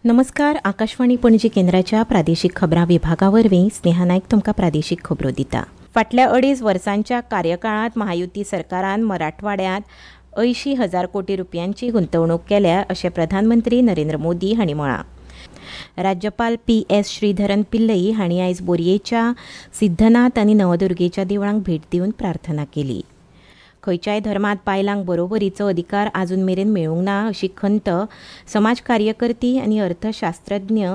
नमस्कार, आकाशवाणी पणजी केंद्राच्या प्रादेशीक खबरां विभागा वरवीं स्नेहा नायक तुमकां प्रादेशीक खबरो दिता. फाटल्या 2.5 वर्सांच्या कार्यकाळांत महायुती सरकारान मराठवाड्यांत 80,000 कोटी रुपयांची गुंतवणूक केल्या अशें प्रधानमंत्री नरेंद्र मोदी हांणी म्हळां. राज्यपाल पी एस श्रीधरन पिल्लई हांणी आयज बोरयेच्या सिद्धनाथ आनी नवदुर्गेच्या देवळांक भेट दिवन प्रार्थना केली. खंयच्याय धर्मांत बायलांक बरोबरीचो अधिकार आजून मेरेन मेळूंक ना अशी खंत समाज कार्यकर्ती आनी अर्थशास्त्रज्ञ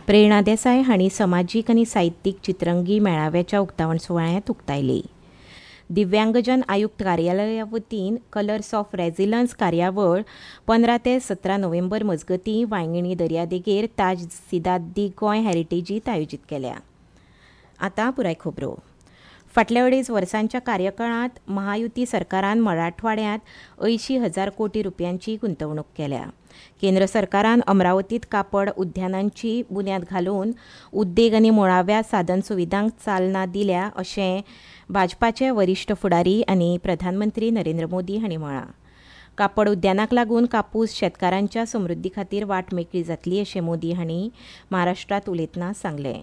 प्रेरणा देसाय हांणी समाजीक आनी साहित्यीक चित्रंगी मेळाव्याच्या उक्तावण सुवाळ्यांत उक्तायली. दिव्यांगजन आयुक्त कार्यालया वतीन कलर्स ऑफ रेझिलन्स कार्यावळ 15 ते 17 नोव्हेंबर मजगतीं वांयगिणी दर्यादेगेर ताज सिदाद दी गोंय हॅरिटेजीत आयोजीत केल्या. आतां पुराय खबरो. फाटल्या 2.5 वर्सांच्या कार्यकाळांत महायुती सरकारान मराठवाड्यांत 80,000 कोटी रुपयांची गुंतवणूक केल्या. केंद्र सरकारान अमरावतीत कापड उद्यानांची बुन्याद घालून उद्देग आनी मुळाव्या साधन सुविधांक चालना दिल्या अशें भाजपाचे वरिश्ठ फुडारी आनी प्रधानमंत्री नरेंद्र मोदी हांणी म्हळां. कापड उद्यानाक लागून कापूस शेतकारांच्या समृद्धी खातीर वाट मेकळी जातली अशें मोदी हांणी महाराष्ट्रांत उलयतना सांगलें.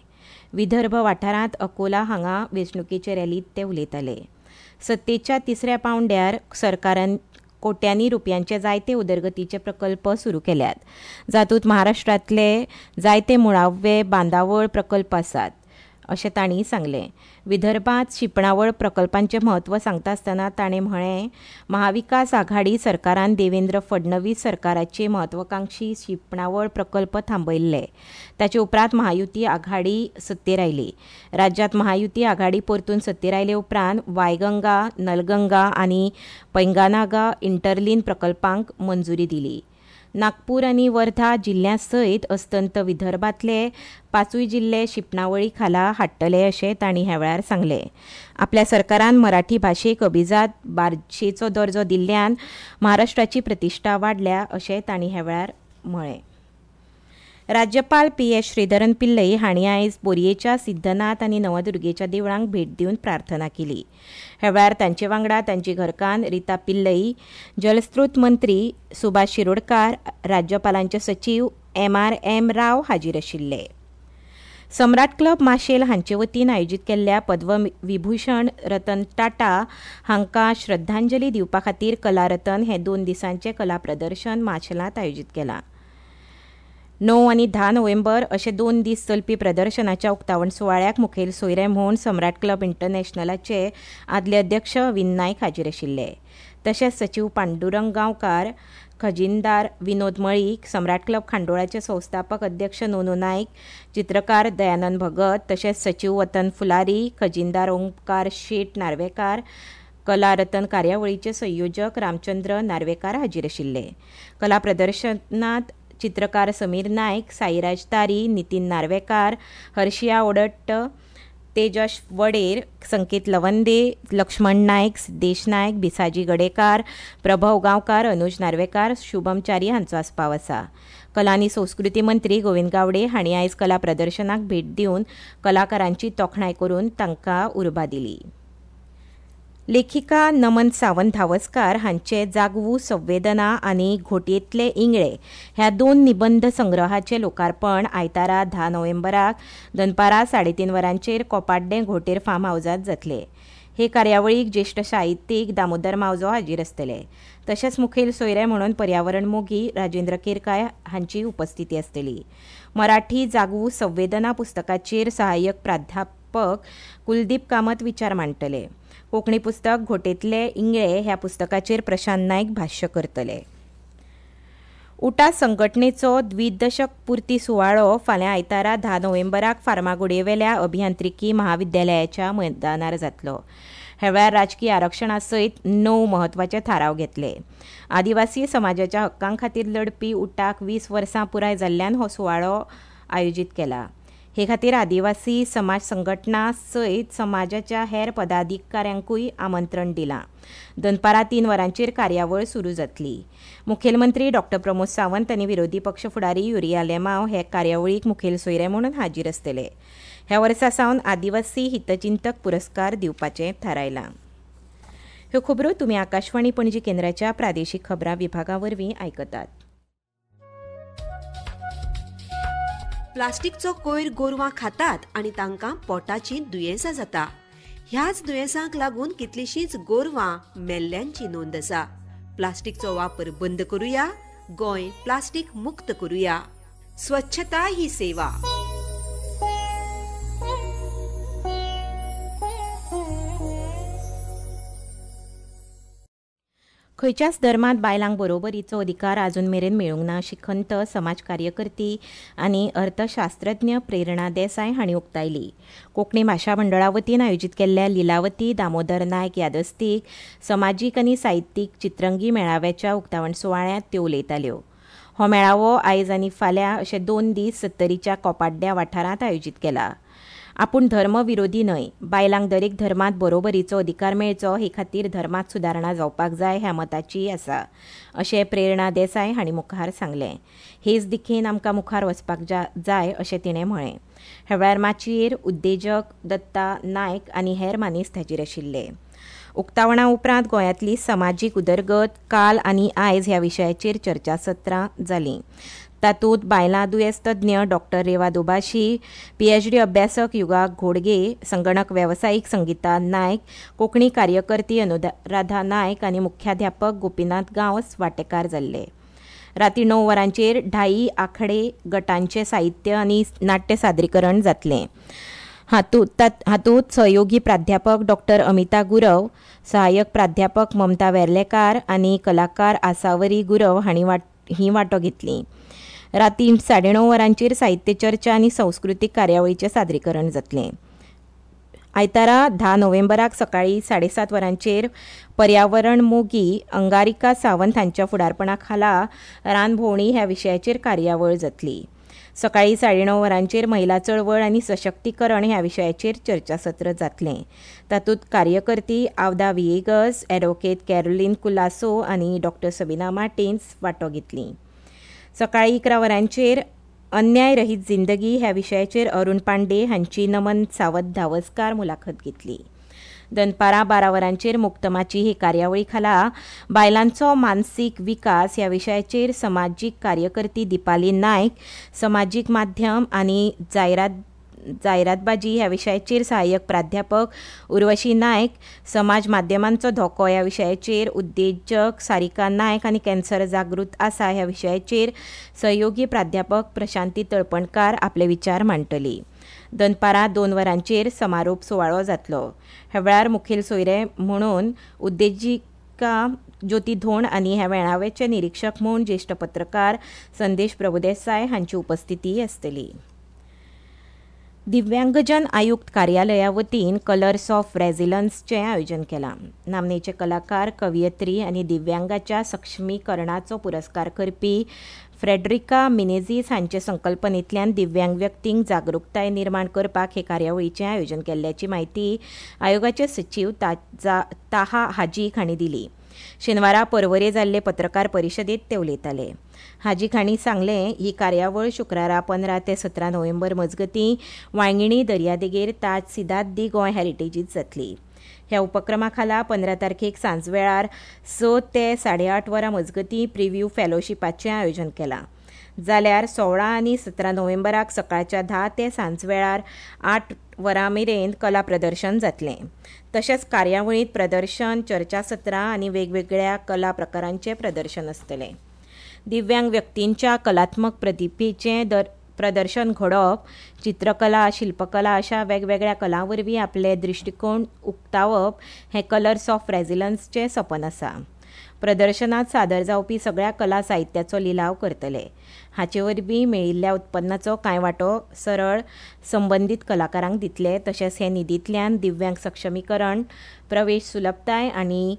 विदर्भ वाठारांत अकोला हांगा वेंचणुकेचे रॅलींत ते उलयताले. सत्तेच्या तिसऱ्या पांवड्यार सरकारान कोट्यांनी रुपयांचे जायते उदरगतीचे प्रकल्प सुरू केल्यात, जातूंत महाराष्ट्रांतले जायते मुळावे बांदावळ प्रकल्प आसात अशें तांणी सांगलें. विदर्भांत शिंपणावळ प्रकल्पांचें म्हत्व सांगता आसतना ताणें म्हळें, महाविकास आघाडी सरकारान देवेंद्र फडणवीस सरकाराचे म्हत्वाकांक्षी शिंपणावळ प्रकल्प थांबयल्ले. ताचे उपरांत महायुती आघाडी सत्तेर आयली. राज्यांत महायुती आघाडी परतून सत्तेर आयले उपरांत वायगंगा, नलगंगा आनी पैंगानागा इंटरलीन प्रकल्पांक मंजुरी दिली. नागपूर आनी वर्धा जिल्ल्या सयत अस्तंत विदर्भांतले 5 जिल्ले शिंपणावळी खाला हाडटले अशें तांणी ह्या वेळार सांगलें. आपल्या सरकारान मराठी भाशेक अभिजात भाशेचो दर्जो दिल्ल्यान महाराष्ट्राची प्रतिश्ठा वाडल्या अशें तांणी ह्या वेळार म्हळें. राज्यपाल पी एस श्रीधरन पिल्लई हांणी आयज बोरयेच्या सिद्धनाथ आनी नवदुर्गेच्या देवळांक भेट दिवन प्रार्थना केली. ह्या वेळार तांचे वांगडा तांची घरकान्न रिता पिल्लई, जलस्रोत मंत्री सुभाष शिरोडकार, राज्यपालांचे सचीव एम.आर.एम. राव हाजीर आशिल्ले. सम्राट क्लब माशेल हांचे वतीन आयोजीत केल्ल्या पद्मविभूषण रतन टाटा हांकां श्रद्धांजली दिवपा खातीर कलारतन हें 2 दिसांचें कला प्रदर्शन माशेलांत आयोजीत केलां. 9 आनी 10 नोव्हेंबर अशे 2 दीस चलपी प्रदर्शनाच्या उक्तावण सुवाळ्याक मुखेल सोयरे म्हूण सम्राट क्लब इंटरनॅशनलाचे आदले अध्यक्ष विन नायक हाजीर आशिल्ले. तशेंच सचीव पांडुरंग गांवकार, खजिनदार विनोद मळीक, सम्राट क्लब खांडोळाचे संस्थापक अध्यक्ष नोनू नायक, चित्रकार दयानंद भगत, तशेंच सचीव वतन फुलारी, खजिनदार ओंकार शेट नार्वेकार, कला रतन कार्यावळीचे संयोजक रामचंद्र नार्वेकार हाजीर आशिल्ले. कला प्रदर्शनांत चित्रकार समीर नायक, साईराज तारी, नितीन नार्वेकार, हर्षिया ओडट्ट, तेजस वडेर, संकेत लवंदे, लक्ष्मण नायक, सिद्धेश नायक, भिसाजी गडेकार, प्रभव गांवकार, अनुज नार्वेकार, शुभम च्यारी हांचो आस्पाव आसा. कला आनी संस्कृती मंत्री गोविंद गावडे हांणी आयज कला प्रदर्शनाक भेट दिवन कलाकारांची तोखणाय करून तांकां उर्बा दिली. लेखिका नमन सावंत धावस्कार हांचे जागवू संवेदना आनी घोटयेंतले इंगळे ह्या 2 निबंध संग्रहाचें लोकार्पण आयतारा 10 नोव्हेंबराक दनपारां 3:30 वरांचेर कोपाड्डें घोटेर फार्म हावजांत जातले. हे कार्यावळीक ज्येश्ठ साहित्यीक दामोदर मावजो हाजीर आसतले. तशेंच मुखेल सोयरे म्हणून पर्यावरण मोगी राजेंद्र केरकार हांची उपस्थिती आसतली. मराठी जागवू संवेदना पुस्तकाचेर सहाय्यक प्राध्यापक कुलदीप कामत विचार मांडटले. कोंकणी पुस्तक घोटेंतले इंगळे ह्या पुस्तकाचेर प्रशांत नायक भाश्य करतले. उटा संघटनेचो द्विदशक पुर्ती सुवाळो फाल्यां आयतारा 10 नोव्हेंबराक फार्मागुडयेवेल्या अभियांत्रिकी महाविद्यालयाच्या मैदानार जातलो. ह्या वेळार राजकी आरक्षणा सयत 9 म्हत्वाचे थाराव घेतले. आदिवासी समाजाच्या हक्कां खातीर लढपी उटाक 20 वर्सां पुराय जाल्ल्यान हो सुवाळो आयोजीत केला. हे खातीर आदिवासी समाज संघटना सयत समाजाच्या हेर पदाधिकाऱ्यांकूय आमंत्रण दिलां. दनपारां 3 वरांचेर कार्यावळ सुरू जातली. मुखेलमंत्री डॉक्टर प्रमोद सावंत आनी विरोधी पक्ष फुडारी युरी आलेमांव हे कार्यावळीक मुखेल सोयरे म्हणून हाजीर आसतले. ह्या वर्सा सावन आदिवासी हितचिंतक पुरस्कार दिवपाचें थारायलां. ह्यो खबरो तुमी आकाशवाणी पणजी केंद्राच्या प्रादेशीक खबरां विभागा वरवीं आयकतात. प्लास्टिकचो कोयर गोरवां खातात आनी तांकां पोटाची दुयेंसां जाता. ह्याच दुयेंसांक लागून कितलींशींच गोरवां मेल्ल्यांची नोंद आसा. प्लास्टिकचो वापर बंद करुया, गोंय प्लास्टिक मुक्त करुया. स्वच्छता ही सेवा. खंयच्याच धर्मांत बायलांक बरोबरीचो अधिकार आजून मेरेन मेळूंक ना अशी खंत समाज कार्यकर्ती आनी अर्थशास्त्रज्ञ प्रेरणा देसाय हांणी उक्तायली. कोंकणी भाशा मंडळा वतीन आयोजीत केल्ल्या लिलावती दामोदर नायक यादस्तीक समाजीक आनी साहित्यीक चित्रंगी मेळाव्याच्या उक्तावण सुवाळ्यांत त्यो उलयताल्यो. हो मेळावो आयज आनी फाल्यां अशे 2 दीस सत्तरीच्या कोपाड्ड्या वाठारांत आयोजीत केला. आपूण धर्म विरोधी न्हय, बायलांक दरेक धर्मांत बरोबरीचो अधिकार मेळचो हे खातीर धर्मांत सुदारणा जावपाक जाय ह्या मताची आसा अशें प्रेरणा देसाय हांणी मुखार सांगलें. हेच दिकेन आमकां मुखार वचपाक जाय अशें तिणें म्हळें. ह्या वेळार माचयेर उद्देजक दत्ता नायक आनी हेर मानेस्त हाजीर आशिल्ले. उक्तावणा उपरांत गोंयांतली समाजीक उदरगत काल आनी आयज ह्या विशयाचेर चर्चासत्रां जालीं. तातूंत बायलां दुयेंस तज्ञ डॉक्टर रेवा दोबाशी, PhD अभ्यासक युगा घोडगे, संगणक वेवसायीक संगीता नायक, कोंकणी कार्यकर्ती अनुराधा नायक आनी मुख्याध्यापक गोपीनाथ गांवस वांटेकार जाल्ले. राती 9 वरांचेर 2.5 आखडे गटांचें साहित्य आनी नाट्य सादरीकरण जातलें. हातूंत सहयोगी प्राध्यापक डॉक्टर अमिता गुरव, सहाय्यक प्राध्यापक ममता वेर्लेकार आनी कलाकार आसावरी गुरव हांणी ही वांटो घेतली. राती 9:30 वरांचेर साहित्य चर्चा आनी संस्कृतीक कार्यावळीचें सादरीकरण जातलें. आयतारा 10 नोव्हेंबराक सकाळीं 7:30 वरांचेर पर्यावरण मोगी अंगारिका सावंत हांच्या फुडारपणा खाला रानभोंवणी ह्या विशयाचेर कार्यावळ जातली. सकाळीं 9:30 वरांचेर महिला चळवळ आनी सशक्तीकरण ह्या विशयाचेर चर्चासत्र जातलें. तातूंत कार्यकर्ती आवदा विएगस, ॲडव्होकेट कॅरोलीन कुलासो आनी डॉक्टर सबिना मार्टिन्स वांटो घेतली. सकाळीं 11 वरांचेर अन्याय रहीत जिंदगी ह्या विशयाचेर अरुण पांडे हांची नमन सावंत धावस्कार मुलाखत घेतली. दनपारां 12 वरांचेर मुक्तमाची ही कार्यावळी खाला बायलांचो मानसीक विकास ह्या विशयाचेर समाजीक कार्यकर्ती दीपाली नायक, समाजीक माध्यम आनी जायरातबाजी ह्या विशयाचेर सहाय्यक प्राध्यापक उर्वशी नायक, समाज माध्यमांचो धोको ह्या विशयाचेर उद्देजक सारिका नायक आनी कॅन्सर जागृत आसा ह्या विशयाचेर सहयोगी प्राध्यापक प्रशांती तळपणकार आपले विचार मांडटली. दनपारां 2 वरांचेर समारोप सुवाळो जातलो. ह्या वेळार मुखेल सोयरे म्हणून उद्देजिका ज्योती धोंड आनी ह्या मेळाव्याचे निरिक्षक म्हूण ज्येश्ठ पत्रकार संदेश प्रभुदेसाय हांची उपस्थिती आसतली. दिव्यांगजन आयुक्त कार्यालया वतीन कलर्स ऑफ रेझिलन्सचें आयोजन केलां. नामनेचे कलाकार, कवयित्री आनी दिव्यांगाच्या सक्षमीकरणाचो पुरस्कार करपी फ्रेडरिका मिनेझीस हांचे संकल्पनेंतल्यान दिव्यांग व्यक्तींक जागृताय निर्माण करपाक हे कार्यावळीचें आयोजन केल्ल्याची म्हायती आयोगाचे सचीव ताहा हाजीक हांणी दिली. शेनवारा पर्वरे जाल्ले पत्रकार परिशदेंत ते उलयताले. हाजीक हांणी सांगलें, ही कार्यावळ शुक्रारा 15 ते 17 नोव्हेंबर मजगतीं वांयगिणी दर्यादेगेर ताज सिदाद दी गोंय हॅरिटेजींत जातली. ह्या उपक्रमा खाला 15 तारखेक सांजवेळार 6 ते 8:30 वरां मजगतीं प्रिव्यू फेलोशिपाचें आयोजन केलां. जाल्यार 16 आनी 17 नोव्हेंबराक सकाळच्या 10 ते सांजवेळार 8 वरां मेरेन कला प्रदर्शन जातलें. तशेंच कार्यावळींत प्रदर्शन, चर्चासत्रां आनी वेगवेगळ्या कला प्रकारांचें प्रदर्शन आसतलें. दिव्यांग व्यक्तींच्या कलात्मक प्रतिभेचें प्रदर्शन घडोवप, चित्रकला, शिल्पकला अशा वेगवेगळ्या कलां वरवीं आपले दृश्टिकोण उक्तावप हें कलर्स ऑफ रेझिलन्सचें सपन आसा. प्रदर्शनांत सादर जावपी सगळ्या कला साहित्याचो लिलाव करतले. हाचे वरवीं मेळिल्ल्या उत्पन्नाचो कांय वांटो सरळ संबंदीत कलाकारांक दितले. तशेंच हे निधींतल्यान दिव्यांग सक्षमीकरण, प्रवेश सुलभताय आनी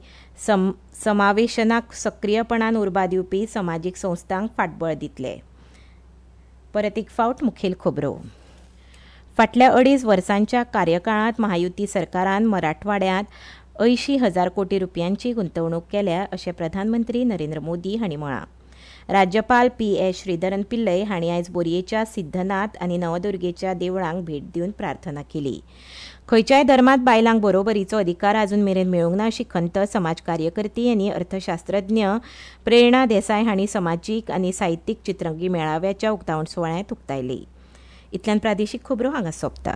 समावेशनाक सक्रीयपणान उर्बा दिवपी समाजीक संस्थांक फाटबळ दितले. परत एक फावट मुखेल खबरो. फाटल्या 2.5 वर्सांच्या कार्यकाळांत महायुती सरकारान मराठवाड्यांत 80,000 कोटी रुपयांची गुंतवणूक केल्या अशें प्रधानमंत्री नरेंद्र मोदी हांणी म्हळां. राज्यपाल पी.एस. श्रीधरन पिल्लय हांणी आयज बोरयेच्या सिद्धनाथ आनी नवदुर्गेच्या देवळांक भेट दिवन प्रार्थना केली. खंयच्याय धर्मांत बायलांक बरोबरीचो अधिकार आजून मेरेन मेळूंक ना अशी खंत समाज कार्यकर्ती आनी अर्थशास्त्रज्ञ प्रेरणा देसाय हांणी समाजीक आनी साहित्यीक चित्रंगी मेळाव्याच्या उक्तावण सुवाळ्यांत उक्तायली. इतल्यान प्रादेशीक खबरो हांगा सोंपता.